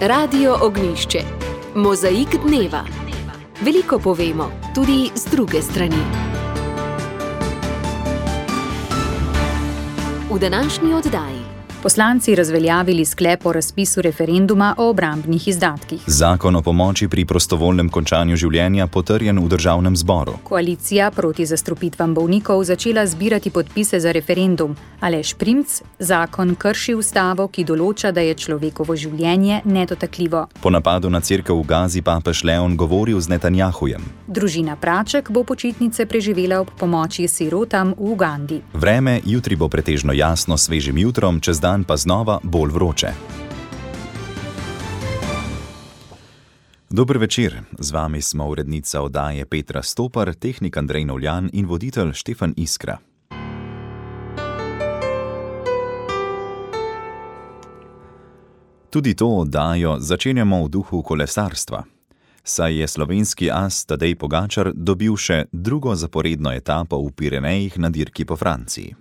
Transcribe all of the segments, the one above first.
Radio Ognjišče. Mozaik dneva. Veliko povemo, tudi z druge strani. V današnji oddaji. Poslanci razveljavili sklep o razpisu referenduma o obrambnih izdatkih. Zakon o pomoči pri prostovoljnem končanju življenja potrjen v državnem zboru. Koalicija proti zastrupitvam bolnikov začela zbirati podpise za referendum. Aleš Primc, zakon krši ustavo, ki določa, da je človekovo življenje nedotakljivo. Po napadu na cerkev v Gazi papež Leon govoril z Netanjahujem. Družina Praček bo počitnice preživela ob pomoči sirotam v Ugandi. Vreme jutri bo pretežno jasno s svežim jutrom, čez dan pa znova bolj vroče. Dober večer, z vami smo urednica oddaje Petra Stopar, tehnik Andrej Novljan in voditelj Štefan Iskra. Tudi to oddajo začenjamo v duhu kolesarstva, saj je slovenski as Tadej Pogačar dobil še drugo zaporedno etapo v Pirenejih na dirki po Franciji.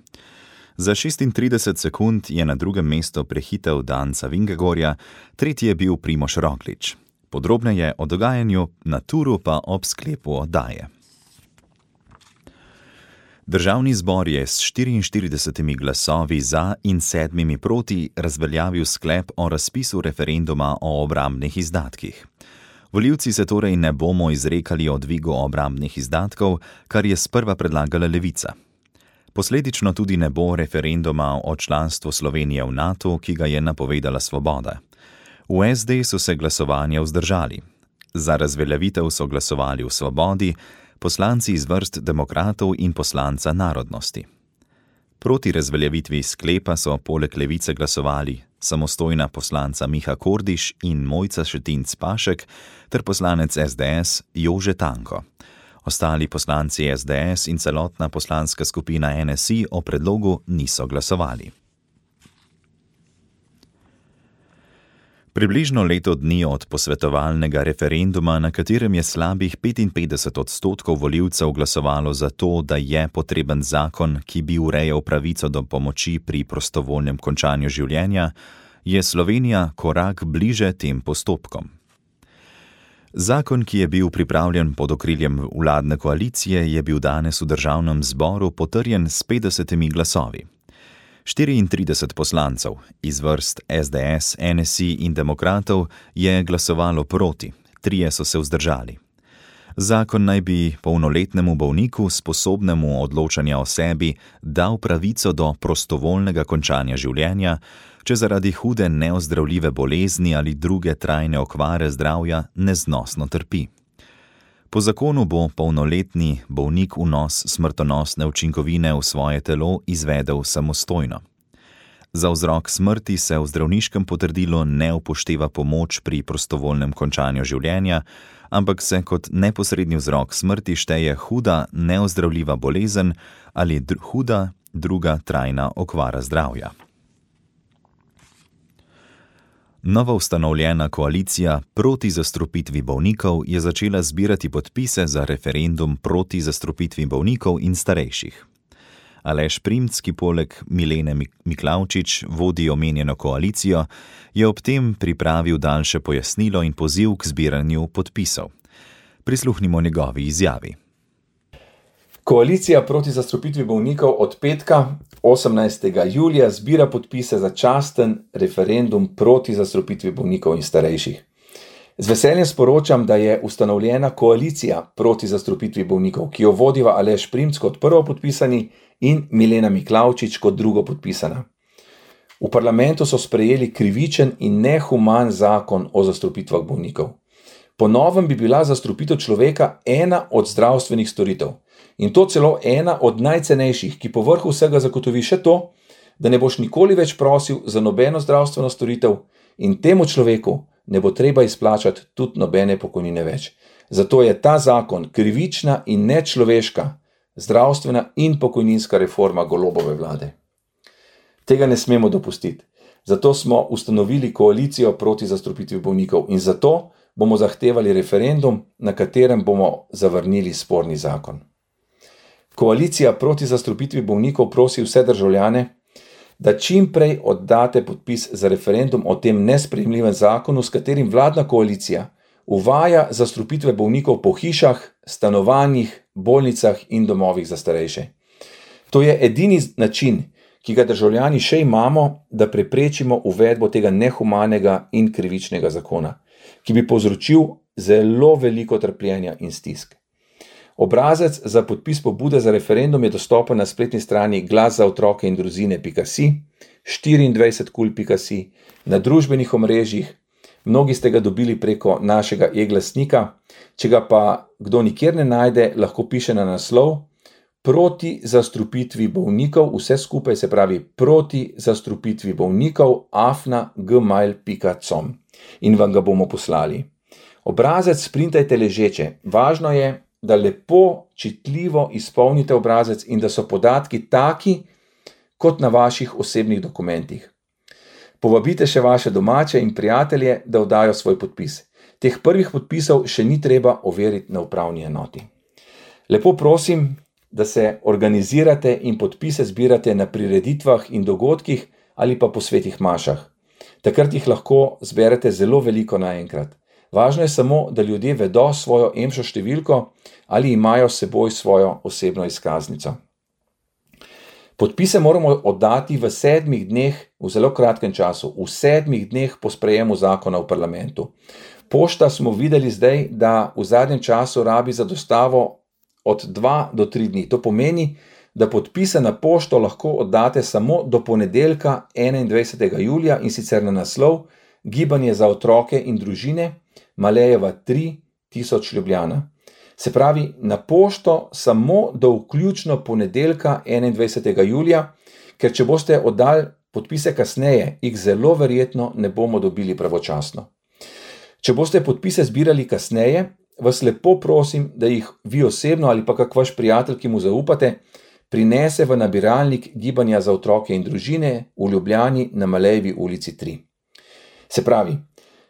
Za 36 sekund je na drugem mestu prehitel Danca Vingegorja, tretji je bil Primož Roglič. Podrobneje o dogajanju na turu pa ob sklepu oddaje. Državni zbor je s 44 glasovi za in 7 proti razveljavil sklep o razpisu referenduma o obrambnih izdatkih. Volivci se torej ne bomo izrekali o dvigu obrambnih izdatkov, kar je sprva predlagala Levica. Posledično tudi ne bo referenduma o članstvu Slovenije v NATO, ki ga je napovedala Svoboda. V SD so se glasovanja vzdržali. Za razveljavitev so glasovali v Svobodi, poslanci iz vrst demokratov in poslanca narodnosti. Proti razveljavitvi sklepa so poleg Levice glasovali samostojna poslanca Miha Kordiš in Mojca Šetinc Pašek ter poslanec SDS Jože Tanko. Ostali poslanci SDS in celotna poslanska skupina NSI o predlogu niso glasovali. Približno leto dni od posvetovalnega referenduma, na katerem je slabih 55% volivcev glasovalo za to, da je potreben zakon, ki bi urejal pravico do pomoči pri prostovoljnem končanju življenja, je Slovenija korak bliže tem postopkom. Zakon, ki je bil pripravljen pod okriljem vladne koalicije, je bil danes v državnem zboru potrjen s 50 glasovi. 34 poslancev iz vrst SDS, NSI in demokratov je glasovalo proti, 3 so se vzdržali. Zakon naj bi polnoletnemu bolniku, sposobnemu odločanja o sebi, dal pravico do prostovoljnega končanja življenja, če zaradi hude neozdravljive bolezni ali druge trajne okvare zdravja neznosno trpi. Po zakonu bo polnoletni bolnik vnos smrtonosne učinkovine v svoje telo izvedel samostojno. Za vzrok smrti se v zdravniškem potrdilu ne upošteva pomoč pri prostovoljnem končanju življenja, ampak se kot neposredni vzrok smrti šteje huda neozdravljiva bolezen ali huda druga trajna okvara zdravja. Novo ustanovljena koalicija proti zastrupitvi bolnikov je začela zbirati podpise za referendum proti zastrupitvi bolnikov in starejših. Aleš Primc, ki poleg Milene Miklavčič vodi omenjeno koalicijo, je ob tem pripravil daljše pojasnilo in poziv k zbiranju podpisov. Prisluhnimo njegovi izjavi. Koalicija proti zastrupitvi bolnikov od petka 18. julija zbira podpise za časten referendum proti zastrupitvi bolnikov in starejših. Z veseljem sporočam, da je ustanovljena koalicija proti zastrupitvi bolnikov, ki jo vodiva Aleš Primc kot prvo podpisani in Milena Miklavčič kot drugo podpisana. V parlamentu so sprejeli krivičen in nehuman zakon o zastrupitvah bolnikov. Po novem bi bila zastrupitev človeka ena od zdravstvenih storitev. In to celo ena od najcenejših, ki po vrhu vsega zagotovi še to, da ne boš nikoli več prosil za nobeno zdravstveno storitev in temu človeku ne bo treba izplačati tudi nobene pokojnine več. Zato je ta zakon krivična in nečloveška zdravstvena in pokojninska reforma Golobove vlade. Tega ne smemo dopustiti. Zato smo ustanovili koalicijo proti zastrupitvi bolnikov in zato bomo zahtevali referendum, na katerem bomo zavrnili sporni zakon. Koalicija proti zastrupitvi bolnikov prosi vse državljane, da čim prej oddate podpis za referendum o tem nesprejemljivem zakonu, s katerim vladna koalicija uvaja zastrupitve bolnikov po hišah, stanovanjih, bolnicah in domovih za starejše. To je edini način, ki ga državljani še imamo, da preprečimo uvedbo tega nehumanega in krivičnega zakona, ki bi povzročil zelo veliko trpljenja in stisk. Obrazec za podpis pobude za referendum je dostopen na spletni strani glaszaotrokeindruzine.si, 24kul.si, na družbenih omrežjih, mnogi ste ga dobili preko našega e-glasnika, če ga pa kdo nikjer ne najde, lahko piše na naslov Proti zastrupitvi bolnikov, vse skupaj se pravi Proti zastrupitvi bolnikov @gmail.com in vam ga bomo poslali. Obrazec sprintajte ležeče, važno je, da lepo, čitljivo izpolnite obrazec in da so podatki taki, kot na vaših osebnih dokumentih. Povabite še vaše domače in prijatelje, da oddajo svoj podpis. Teh prvih podpisov še ni treba overiti na upravni enoti. Lepo prosim, da se organizirate in podpise zbirate na prireditvah in dogodkih ali pa po svetih mašah. Takrat jih lahko zberete zelo veliko naenkrat. Važno je samo, da ljudje vedo svojo EMŠO številko ali imajo s seboj svojo osebno izkaznico. Podpise moramo oddati v 7 dneh, v zelo kratkem času, v 7 dneh po sprejemu zakona v parlamentu. Pošta smo videli zdaj, da v zadnjem času rabi za dostavo od 2 do 3 dni. To pomeni, da podpise na pošto lahko oddate samo do ponedeljka 21. julija in sicer na naslov Gibanje za otroke in družine, Malejeva 3, 1000 Ljubljana. Se pravi, na pošto samo do vključno ponedeljka 21. julija, ker če boste oddali podpise kasneje, jih zelo verjetno ne bomo dobili pravočasno. Če boste podpise zbirali kasneje, vas lepo prosim, da jih vi osebno ali pa kak vaš prijatelj, ki mu zaupate, prinese v nabiralnik Gibanja za otroke in družine v Ljubljani na Malejevi ulici 3. Se pravi,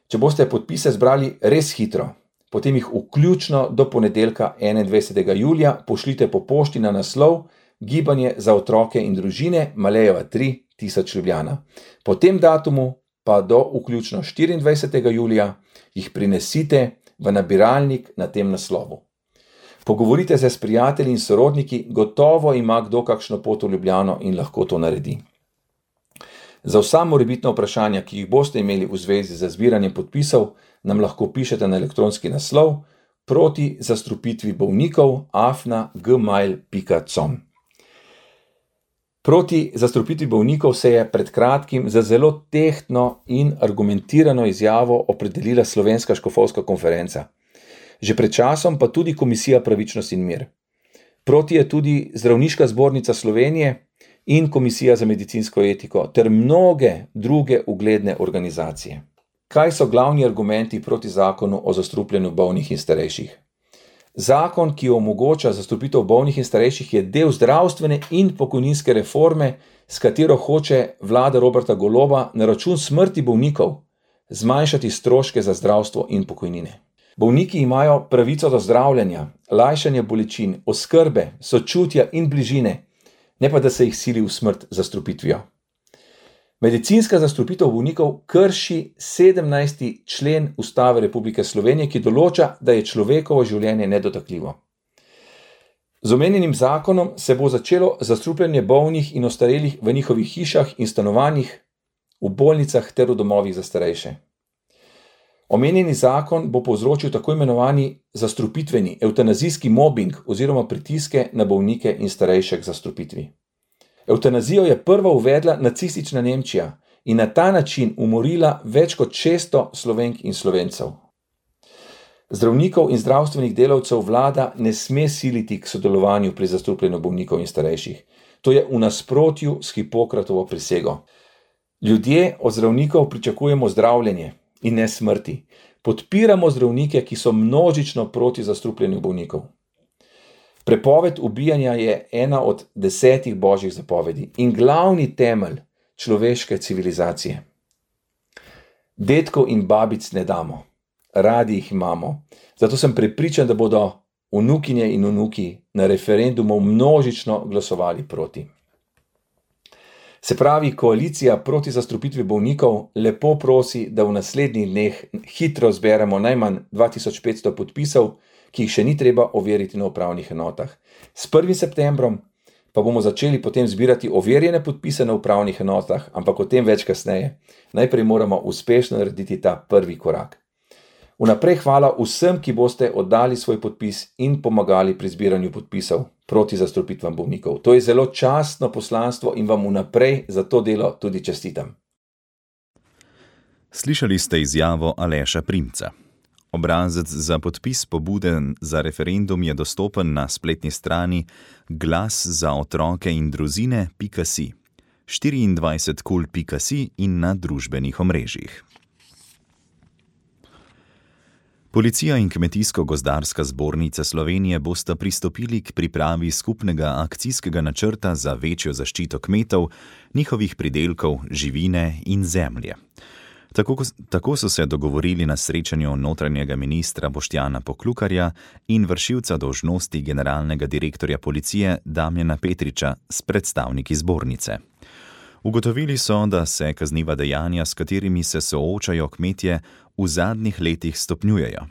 če boste podpise zbrali res hitro, potem jih vključno do ponedeljka 21. julija pošljite po pošti na naslov Gibanje za otroke in družine, Malejeva 3, 1000 Ljubljana. Po tem datumu pa do vključno 24. julija jih prinesite v nabiralnik na tem naslovu. Pogovorite se s prijatelji in sorodniki, gotovo ima kdo kakšno pot v Ljubljano in lahko to naredi. Za vsa morebitna vprašanja, ki jih boste imeli v zvezi z zbiranjem podpisov, nam lahko pišete na elektronski naslov proti zastrupitvi bolnikov @gmail.com. Proti zastrupitvi bolnikov se je pred kratkim za zelo tehtno in argumentirano izjavo opredelila Slovenska škofovska konferenca. Že pred časom pa tudi Komisija Pravičnost in mir. Proti je tudi Zdravniška zbornica Slovenije in Komisija za medicinsko etiko ter mnoge druge ugledne organizacije. Kaj so glavni argumenti proti zakonu o zastrupljanju bolnih in starejših? Zakon, ki omogoča zastrupitev bolnih in starejših, je del zdravstvene in pokojninske reforme, s katero hoče vlada Roberta Goloba na račun smrti bolnikov zmanjšati stroške za zdravstvo in pokojnine. Bolniki imajo pravico do zdravljenja, lajšanja bolečin, oskrbe, sočutja in bližine, ne pa da se jih sili v smrt z zastrupitvijo. Medicinska zastrupitev bolnikov krši 17. člen Ustave Republike Slovenije, ki določa, da je človekovo življenje nedotakljivo. Z omenjenim zakonom se bo začelo zastrupljanje bolnih in ostarelih v njihovih hišah in stanovanjih, v bolnicah ter v domovih za starejše. Omenjeni zakon bo povzročil tako imenovani zastrupitveni, evtanazijski mobbing oziroma pritiske na bolnike in starejše k zastrupitvi. Evtanazijo je prva uvedla nacistična Nemčija in na ta način umorila več kot 600 Slovenk in Slovencev. Zdravnikov in zdravstvenih delavcev vlada ne sme siliti k sodelovanju pri zastrupljanju bolnikov in starejših. To je v nasprotju s Hipokratovo prisego. Ljudje od zdravnikov pričakujemo zdravljenje in ne smrti. Podpiramo zdravnike, ki so množično proti zastrupljanju bolnikov. Prepoved ubijanja je ena od 10 božjih zapovedi in glavni temelj človeške civilizacije. Dedkov in babic ne damo, radi jih imamo, zato sem prepričan, da bodo vnukinje in vnuki na referendumu množično glasovali proti. Se pravi, koalicija proti zastrupitvi bolnikov lepo prosi, da v naslednjih dneh hitro zberemo najmanj 2500 podpisov, ki jih še ni treba overiti na upravnih enotah. S 1. septembrom pa bomo začeli potem zbirati overjene podpise na upravnih enotah, ampak o tem več kasneje. Najprej moramo uspešno narediti ta prvi korak. Vnaprej hvala vsem, ki boste oddali svoj podpis in pomagali pri zbiranju podpisov proti zastrupitvam bolnikov. To je zelo častno poslanstvo in vam vnaprej za to delo tudi čestitam. Slišali ste izjavo Aleša Primca. Obrazec za podpis pobude za referendum je dostopen na spletni strani glaszaotrokeindruzine.si, 24kul.si in na družbenih omrežjih. Policija in Kmetijsko-gozdarska zbornica Slovenije bosta pristopili k pripravi skupnega akcijskega načrta za večjo zaščito kmetov, njihovih pridelkov, živine in zemlje. Tako so se dogovorili na srečanju notranjega ministra Boštjana Poklukarja in vršilca dolžnosti generalnega direktorja policije Damjana Petriča s predstavniki zbornice. Ugotovili so, da se kazniva dejanja, s katerimi se soočajo kmetje, v zadnjih letih stopnjujejo.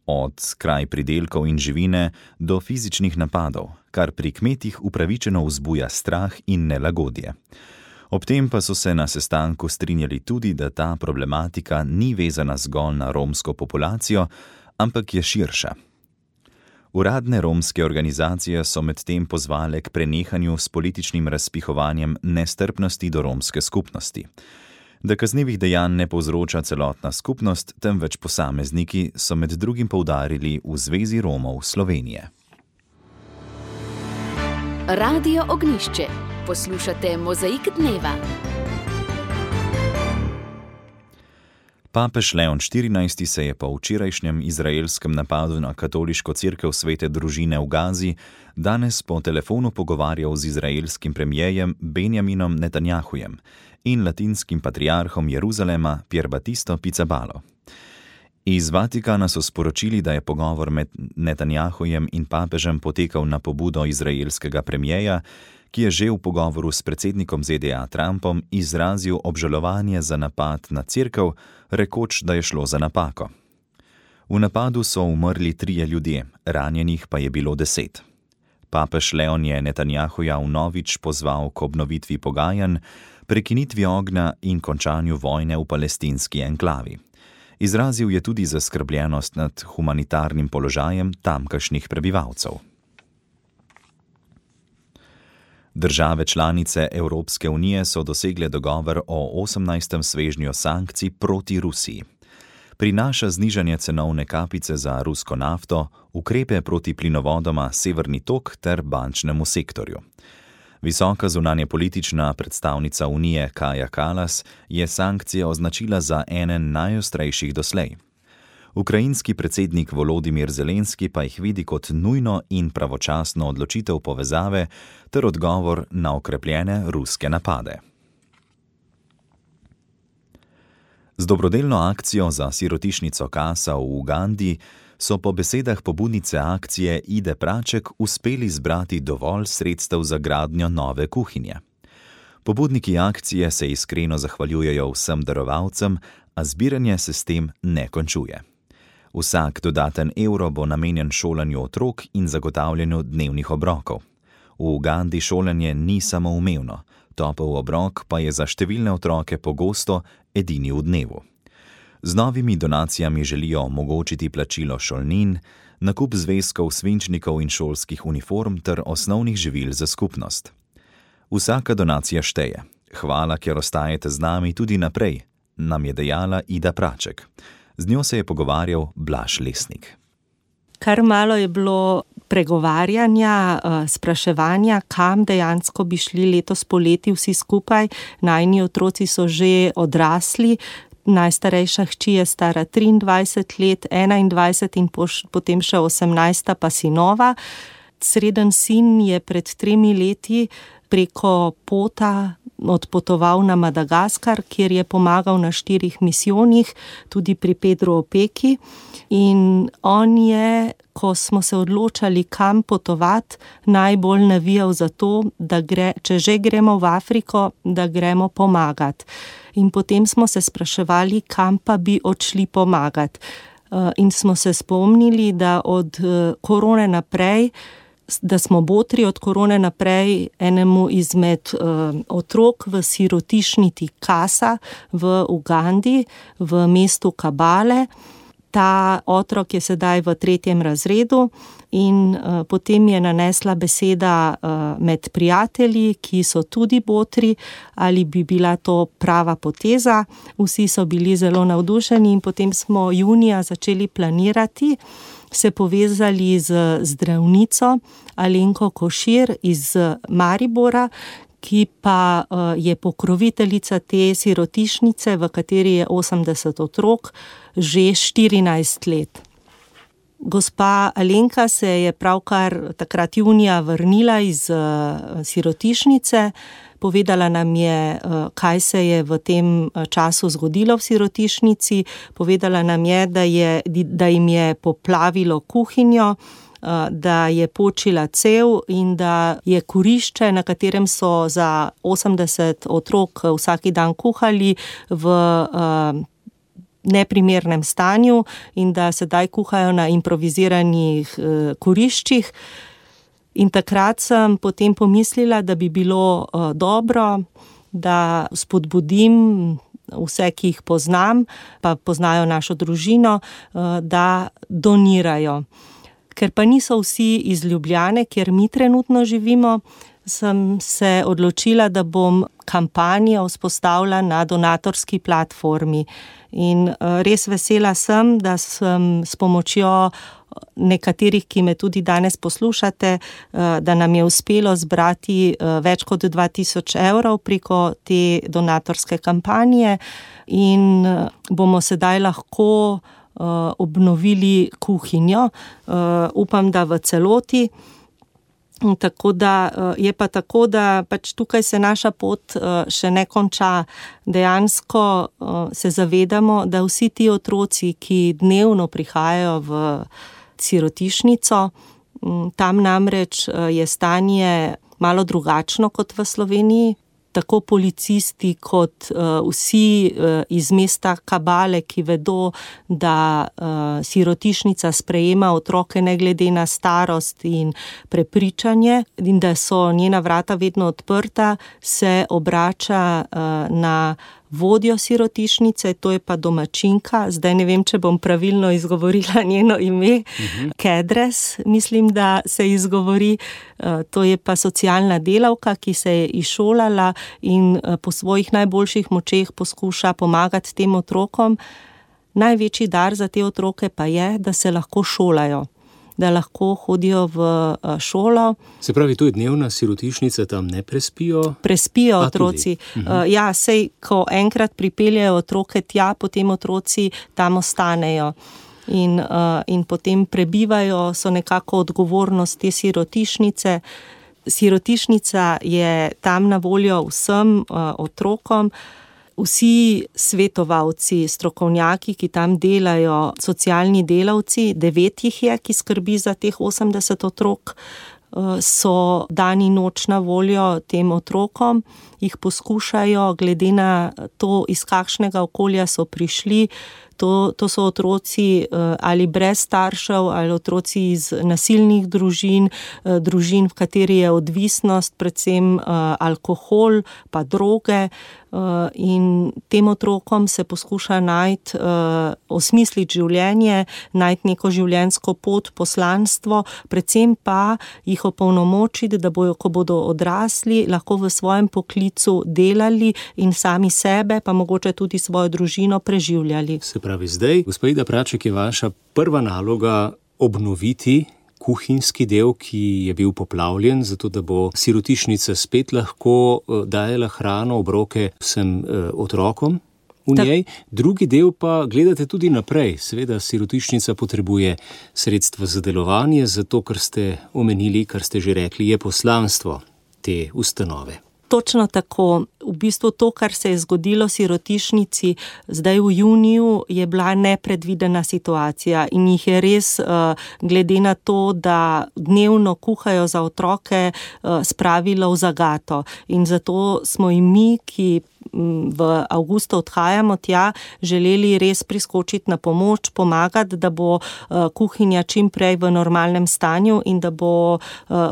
Od kraj pridelkov in živine do fizičnih napadov, kar pri kmetih upravičeno vzbuja strah in nelagodje. Ob tem pa so se na sestanku strinjali tudi, da ta problematika ni vezana zgolj na romsko populacijo, ampak je širša. Uradne romske organizacije so medtem pozvale k prenehanju s političnim razpihovanjem nestrpnosti do romske skupnosti. Da kaznivih dejanj ne povzroča celotna skupnost, temveč posamezniki, so med drugim poudarili v Zvezi Romov Slovenije. Radio Ognjišče. Poslušate Mozaik dneva. Papež Leon XIV se je po včerajšnjem izraelskem napadu na katoliško cerkev Svete družine v Gazi danes po telefonu pogovarjal z izraelskim premijejem Benjaminom Netanjahujem in latinskim patriarhom Jeruzalema Pierbatisto Pizzabalo. Iz Vatikana so sporočili, da je pogovor med Netanjahujem in papežem potekal na pobudo izraelskega premijeja, ki je že v pogovoru s predsednikom ZDA Trumpom izrazil obžalovanje za napad na cerkev, rekoč, da je šlo za napako. V napadu so umrli 3 ljudje, ranjenih pa je bilo 10. Papež Leon je Netanjahuja vnovič pozval k obnovitvi pogajanj, prekinitvi ognja in končanju vojne v palestinski enklavi. Izrazil je tudi zaskrbljenost nad humanitarnim položajem tamkajšnjih prebivalcev. Države članice Evropske unije so dosegle dogovor o 18. svežnju sankcij proti Rusiji. Prinaša znižanje cenovne kapice za rusko nafto, ukrepe proti plinovodoma Severni tok ter bančnemu sektorju. Visoka zunanjepolitična predstavnica Unije Kaja Kallas je sankcije označila za ene najostrejših doslej. Ukrajinski predsednik Volodimir Zelenski pa jih vidi kot nujno in pravočasno odločitev povezave ter odgovor na okrepljene ruske napade. Z dobrodelno akcijo za sirotišnico Kasa v Ugandi so po besedah pobudnice akcije Ide Praček uspeli zbrati dovolj sredstev za gradnjo nove kuhinje. Pobudniki akcije se iskreno zahvaljujejo vsem darovalcem, a zbiranje se s tem ne končuje. Vsak dodaten evro bo namenjen šolanju otrok in zagotavljanju dnevnih obrokov. V Ugandi šolanje ni samoumevno, topel obrok pa je za številne otroke pogosto edini v dnevu. Z novimi donacijami želijo omogočiti plačilo šolnin, nakup zvezkov, svinčnikov in šolskih uniform ter osnovnih živil za skupnost. Vsaka donacija šteje. Hvala, ker ostajate z nami tudi naprej, nam je dejala Ida Praček. Z njo se je pogovarjal Blaž Lesnik. Kar malo je bilo pregovarjanja, spraševanja, kam dejansko bi šli letos poleti vsi skupaj. Najini otroci so že odrasli, najstarejša hči je stara 23 let, 21 in potem še 18 pa sinova. Sreden sin je pred 3 leti preko pota odpotoval na Madagaskar, kjer je pomagal na 4 misijonih, tudi pri Pedru Opeki. In on je, ko smo se odločali, kam potovati, najbolj navijal za to, da če že gremo v Afriko, da gremo pomagati. In potem smo se spraševali, kam pa bi odšli pomagati. In smo se spomnili, da od korone naprej, da smo botri od korone naprej enemu izmed otrok v sirotišnici Kasa v Ugandi, v mestu Kabale. Ta otrok je sedaj v 3. razredu in potem je nanesla beseda med prijatelji, ki so tudi botri, ali bi bila to prava poteza. Vsi so bili zelo navdušeni in potem smo junija začeli planirati, se povezali z zdravnico Alenko Košir iz Maribora, ki pa je pokroviteljica te sirotišnice, v kateri je 80 otrok, že 14 let. Gospa Alenka se je pravkar takrat junija vrnila iz sirotišnice, povedala nam je, kaj se je v tem času zgodilo v sirotišnici, povedala nam je, da jim je poplavilo kuhinjo, da je počila cev in da je kurišče, na katerem so za 80 otrok vsak dan kuhali, v neprimernem stanju in da sedaj kuhajo na improviziranih kuriščih. In takrat sem potem pomislila, da bi bilo dobro, da spodbudim vse, ki jih poznam, pa poznajo našo družino, da donirajo. Ker pa niso vsi iz Ljubljane, kjer mi trenutno živimo, sem se odločila, da bom kampanjo vzpostavila na donatorski platformi. In res vesela sem, da sem s pomočjo nekaterih, ki me tudi danes poslušate, da nam je uspelo zbrati več kot 2000 evrov preko te donatorske kampanje in bomo sedaj lahko obnovili kuhinjo, upam, da v celoti. Tako da je pa tako, da pač tukaj se naša pot še ne konča. Dejansko se zavedamo, da vsi ti otroci, ki dnevno prihajajo v sirotišnico, tam namreč je stanje malo drugačno kot v Sloveniji. Tako policisti kot vsi iz mesta Kabale, ki vedo, da sirotišnica sprejema otroke ne glede na starost in prepričanje in da so njena vrata vedno odprta, se obrača na vodjo sirotišnice, to je pa domačinka, zdaj ne vem, če bom pravilno izgovorila njeno ime, Kedres, mislim, da se izgovori, to je pa socialna delavka, ki se je izšolala in po svojih najboljših močeh poskuša pomagati tem otrokom. Največji dar za te otroke pa je, da se lahko šolajo, da lahko hodijo v šolo. Se pravi, to je dnevna sirotišnica, tam ne prespijo? Prespijo otroci. Ja, sej, ko enkrat pripeljejo otroke tja, potem otroci tam ostanejo. In potem prebivajo, so nekako odgovornost te sirotišnice. Sirotišnica je tam na voljo vsem otrokom. Vsi svetovalci, strokovnjaki, ki tam delajo, socialni delavci, 9 jih je, ki skrbi za teh 80 otrok, so dan in noč na voljo tem otrokom, jih poskušajo, glede na to, iz kakšnega okolja so prišli. To so otroci ali brez staršev, ali otroci iz nasilnih družin, v kateri je odvisnost, predvsem alkohol, pa droge. In tem otrokom se poskuša najti, osmisliti življenje, najti neko življenjsko pot, poslanstvo, predvsem pa jih opolnomočiti, da bojo, ko bodo odrasli, lahko v svojem poklicu delali in sami sebe, pa mogoče tudi svojo družino preživljali. Se pravi, zdaj, gospa Ida Praček, je vaša prva naloga obnoviti kuhinjski del, ki je bil poplavljen, zato da bo sirotišnica spet lahko dajala hrano, obroke vsem otrokom v njej. Drugi del pa gledate tudi naprej. Seveda sirotišnica potrebuje sredstva za delovanje, zato, kar ste omenili, kar ste že rekli, je poslanstvo te ustanove. Točno tako. V bistvu to, kar se je zgodilo sirotišnici zdaj v juniju, je bila nepredvidena situacija in jih je res, glede na to, da dnevno kuhajo za otroke, spravilo v zagato. In zato smo in mi, ki v avgustu odhajamo tja, želeli res priskočiti na pomoč, pomagati, da bo kuhinja čim prej v normalnem stanju in da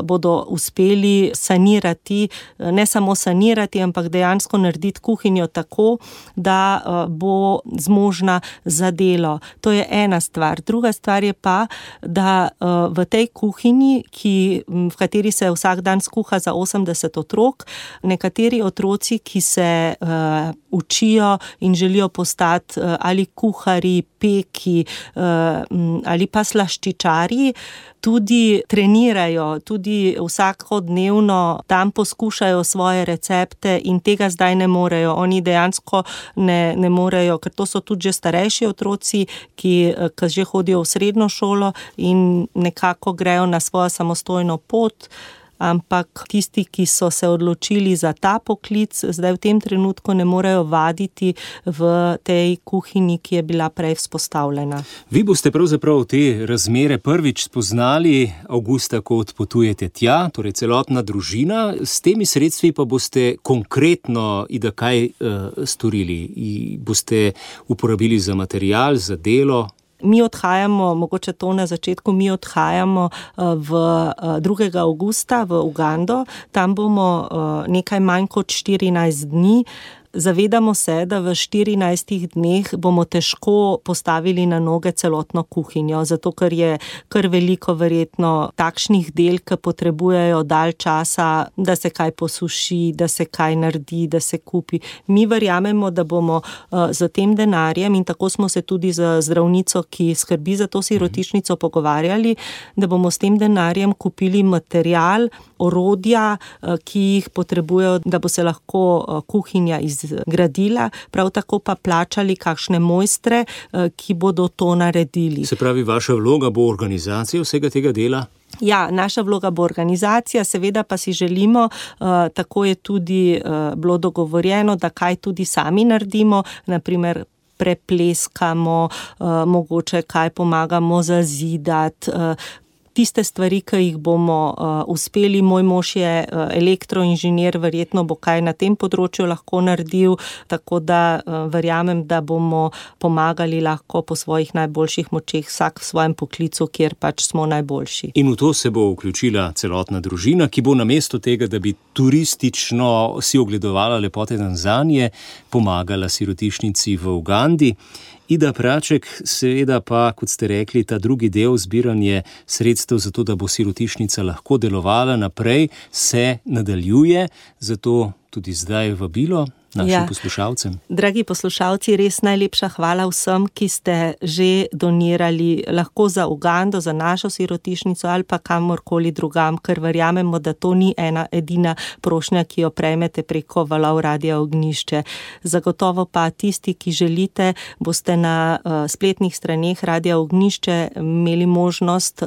bodo uspeli sanirati, ne samo sanirati, ampak dejansko narediti kuhinjo tako, da bo zmožna za delo. To je ena stvar. Druga stvar je pa, da v tej kuhinji, v kateri se vsak dan skuha za 80 otrok, nekateri otroci, ki se učijo in želijo postati ali kuharji, peki ali pa slaščičarji, tudi trenirajo, tudi vsakodnevno tam poskušajo svoje recepte in tega zdaj ne morejo. Oni dejansko ne morejo, ker to so tudi že starejši otroci, ki že hodijo v srednjo šolo in nekako grejo na svojo samostojno pot. Ampak tisti, ki so se odločili za ta poklic, zdaj v tem trenutku ne morejo vaditi v tej kuhinji, ki je bila prej vzpostavljena. Vi boste pravzaprav te razmere prvič spoznali avgusta, ko odpotujete tja, torej celotna družina. S temi sredstvi pa boste konkretno kaj storili? Boste uporabili za material, za delo? Mi odhajamo, mogoče to na začetku, mi odhajamo 2. avgusta v Ugando. Tam bomo nekaj manj kot 14 dni. Zavedamo se, da v 14 dneh bomo težko postavili na noge celotno kuhinjo, zato ker je kar veliko verjetno takšnih del, ki potrebujejo dalj časa, da se kaj posuši, da se kaj naredi, da se kupi. Mi verjamemo, da bomo z tem denarjem, in tako smo se tudi z zdravnico, ki skrbi za to sirotišnico, pogovarjali, da bomo s tem denarjem kupili material, orodja, ki jih potrebujejo, da bo se lahko kuhinja izgradila, prav tako pa plačali kakšne mojstre, ki bodo to naredili. Se pravi, vaša vloga bo organizacija vsega tega dela? Ja, naša vloga bo organizacija, seveda pa si želimo, tako je tudi bilo dogovorjeno, da kaj tudi sami naredimo, naprimer prepleskamo, mogoče kaj pomagamo zazidati, tiste stvari, ki jih bomo uspeli. Moj mož je elektroinženir, verjetno bo kaj na tem področju lahko naredil, tako da verjamem, da bomo pomagali lahko po svojih najboljših močeh, vsak v svojem poklicu, kjer pač smo najboljši. In v to se bo vključila celotna družina, ki bo namesto tega, da bi turistično si ogledovala lepote Tanzanije, pomagala sirotišnici v Ugandi. Ida Praček, seveda pa, kot ste rekli, ta drugi del, zbiranje sredstev za to, da bo sirotišnica lahko delovala naprej, se nadaljuje, zato tudi zdaj vabilo našim poslušalcem. Dragi poslušalci, res najlepša hvala vsem, ki ste že donirali, lahko za Ugando, za našo sirotišnico ali pa kamorkoli drugam, ker verjamemo, da to ni ena edina prošnja, ki jo prejmete preko valov Radia Ognjišče. Zagotovo pa tisti, ki želite, boste na spletnih straneh Radia Ognjišče imeli možnost,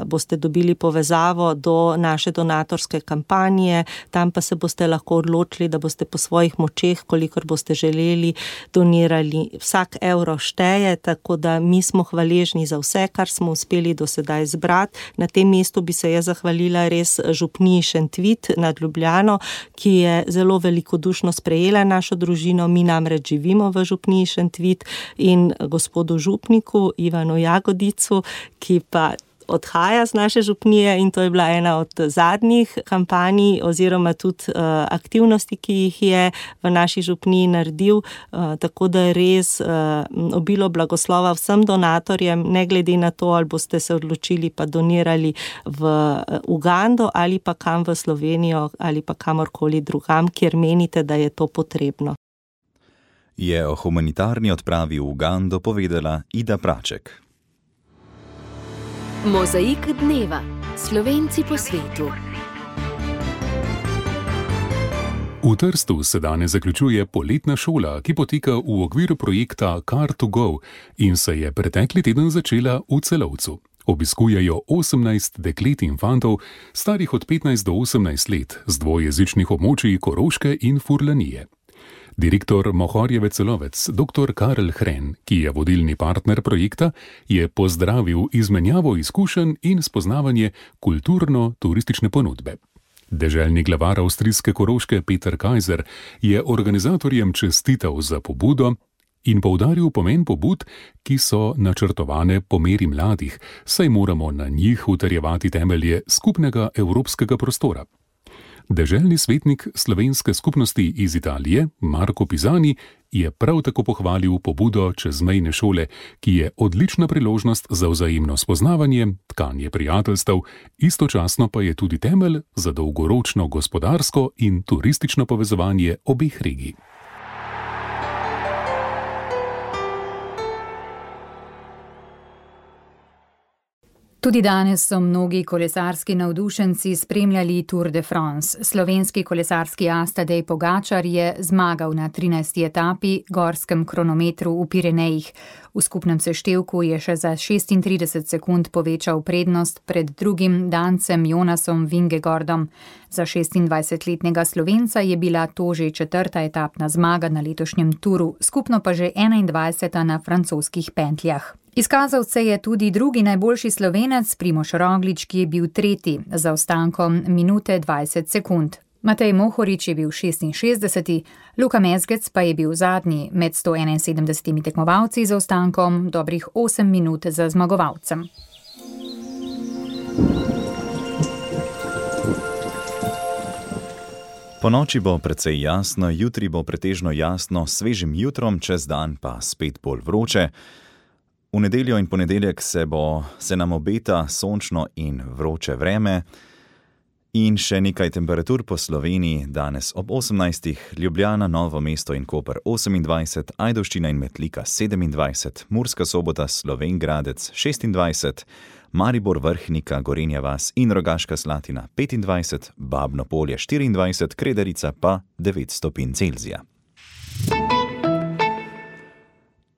boste dobili povezavo do naše donatorske kampanje, tam pa se boste lahko odločili, da boste po svojih močeh, kolikor boste želeli, donirali. Vsak evro šteje, tako da mi smo hvaležni za vse, kar smo uspeli do sedaj zbrati. Na tem mestu bi se jaz zahvalila res župniji Šentvit nad Ljubljano, ki je zelo velikodušno sprejela našo družino. Mi namreč živimo v župniji Šentvit, in gospodu župniku Ivanu Jagodicu, ki pa odhaja z naše župnije, in to je bila ena od zadnjih kampanj oziroma tudi aktivnosti, ki jih je v naši župniji naredil, tako da je res obilo blagoslova vsem donatorjem, ne glede na to, ali boste se odločili pa donirali v Ugando ali pa kam v Slovenijo ali pa kamorkoli drugam, kjer menite, da je to potrebno. Je o humanitarni odpravi v Ugando povedala Ida Praček. Mozaik dneva. Slovenci po svetu. V Trstu se danes zaključuje poletna šola, ki poteka v okviru projekta Car2Go in se je pretekli teden začela v Celovcu. Obiskujejo 18 deklet in fantov, starih od 15 do 18 let, z dvojezičnih območij Koroške in Furlanije. Direktor Mohorjeve Celovec, dr. Karel Hren, ki je vodilni partner projekta, je pozdravil izmenjavo izkušenj in spoznavanje kulturno-turistične ponudbe. Deželni glavar avstrijske Koroške Peter Kajzer je organizatorjem čestital za pobudo in poudaril pomen pobud, ki so načrtovane po meri mladih, saj moramo na njih utrjevati temelje skupnega evropskega prostora. Deželni svetnik slovenske skupnosti iz Italije, Marko Pisani, je prav tako pohvalil pobudo čezmejne šole, ki je odlična priložnost za vzajemno spoznavanje, tkanje prijateljstev, istočasno pa je tudi temelj za dolgoročno gospodarsko in turistično povezovanje obeh regij. Tudi danes so mnogi kolesarski navdušenci spremljali Tour de France. Slovenski kolesarski as Tadej Pogačar je zmagal na 13. etapi gorskem kronometru v Pirenejih. V skupnem seštevku je še za 36 sekund povečal prednost pred drugim Dancem Jonasom Vingegordom. Za 26-letnega Slovenca je bila to že 4. etapna zmaga na letošnjem turu, skupno pa že 21. na francoskih pentljah. Izkazal se je tudi drugi najboljši Slovenec Primož Roglič, ki je bil tretji z zaostankom minute 20 sekund. Matej Mohorič je bil 66, Luka Mezgec pa je bil zadnji med 171 tekmovalci z zaostankom dobrih 8 minut za zmagovalcem. Ponoči bo precej jasno, jutri bo pretežno jasno, svežim jutrom, čez dan pa spet bolj vroče. V nedeljo in ponedeljek se nam obeta sončno in vroče vreme in še nekaj temperatur po Sloveniji. Danes ob 18. Ljubljana, Novo mesto in Koper 28, Ajdovščina in Metlika 27, Murska Sobota, Slovenj Gradec 26, Maribor, Vrhnika, Gorenja vas in Rogaška Slatina 25, Babno Polje 24, Kredarica pa 9 stopinj Celzija.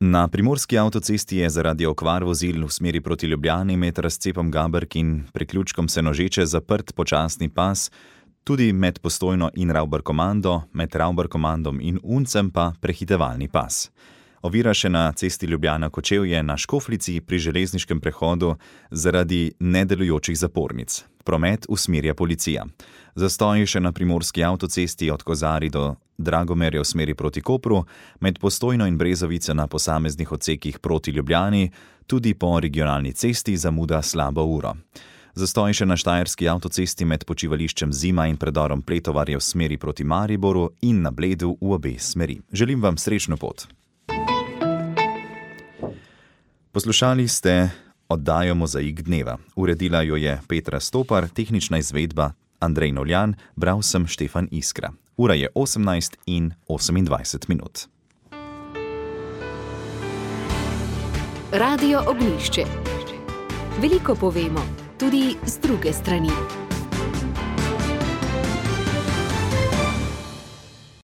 Na primorski avtocesti je zaradi okvar vozil v smeri proti Ljubljani med razcepom Gaberk in priključkom Senožeče zaprt počasni pas, tudi med Postojno in Ravbarkomando, med Ravbarkomandom in Uncem pa prehitevalni pas. Ovira še na cesti Ljubljana-Kočevje na Škoflici pri železniškem prehodu zaradi nedelujočih zapornic. Promet usmerja policija. Zastoji še na primorski avtocesti od Kozari do Dragomerja v smeri proti Kopru, med Postojno in Brezovice na posameznih odsekih proti Ljubljani, tudi po regionalni cesti zamuda slabo uro. Zastoji še na štajerski avtocesti med počivališčem Zima in predorom Pletovarje v smeri proti Mariboru in na Bledu v obe smeri. Želim vam srečno pot. Poslušali ste oddajo Mozaik dneva. Uredila jo je Petra Stopar, tehnična izvedba Andrej Noljan, bral sem Štefan Iskra. Ura je 18:28 minut. Radio Ognjišče. Veliko povemo, tudi z druge strani.